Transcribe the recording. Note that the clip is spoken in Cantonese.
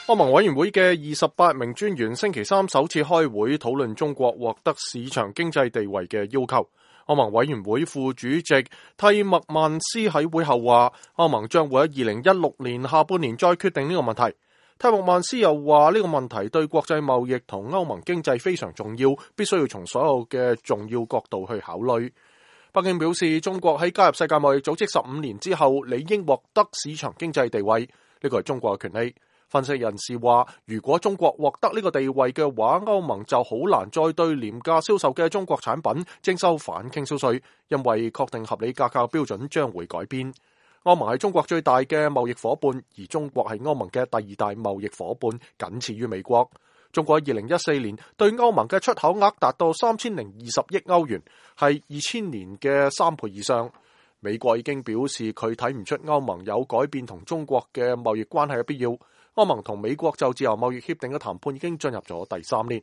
歐盟委員會嘅28名專員星期三首次開會討論中國獲得市場經濟地位嘅要求。歐盟委員會副主席蒂默曼斯喺會後話，歐盟將會喺2016年下半年再決定呢個問題。蒂默曼斯又話，呢個問題對國際貿易同歐盟經濟非常重要，必須要從所有嘅重要角度去考慮。北京表示，中國喺加入世界貿易組織15年之後，理應獲得市場經濟地位，呢個係中國嘅權利。分析人士話，如果中國獲得呢個地位嘅話，歐盟就好難再對廉價銷售嘅中國產品徵收反傾銷稅，因為確定合理價格標準將會改變。歐盟係中國最大嘅貿易夥伴，而中國係歐盟嘅第二大貿易夥伴，僅次於美國。中國喺2014年對歐盟嘅出口額達到3020億歐元，係2000年嘅3倍以上。美國已經表示佢睇唔出歐盟有改變同中國嘅貿易關係嘅必要。歐盟同美國就自由貿易協定嘅談判已經進入咗第3年。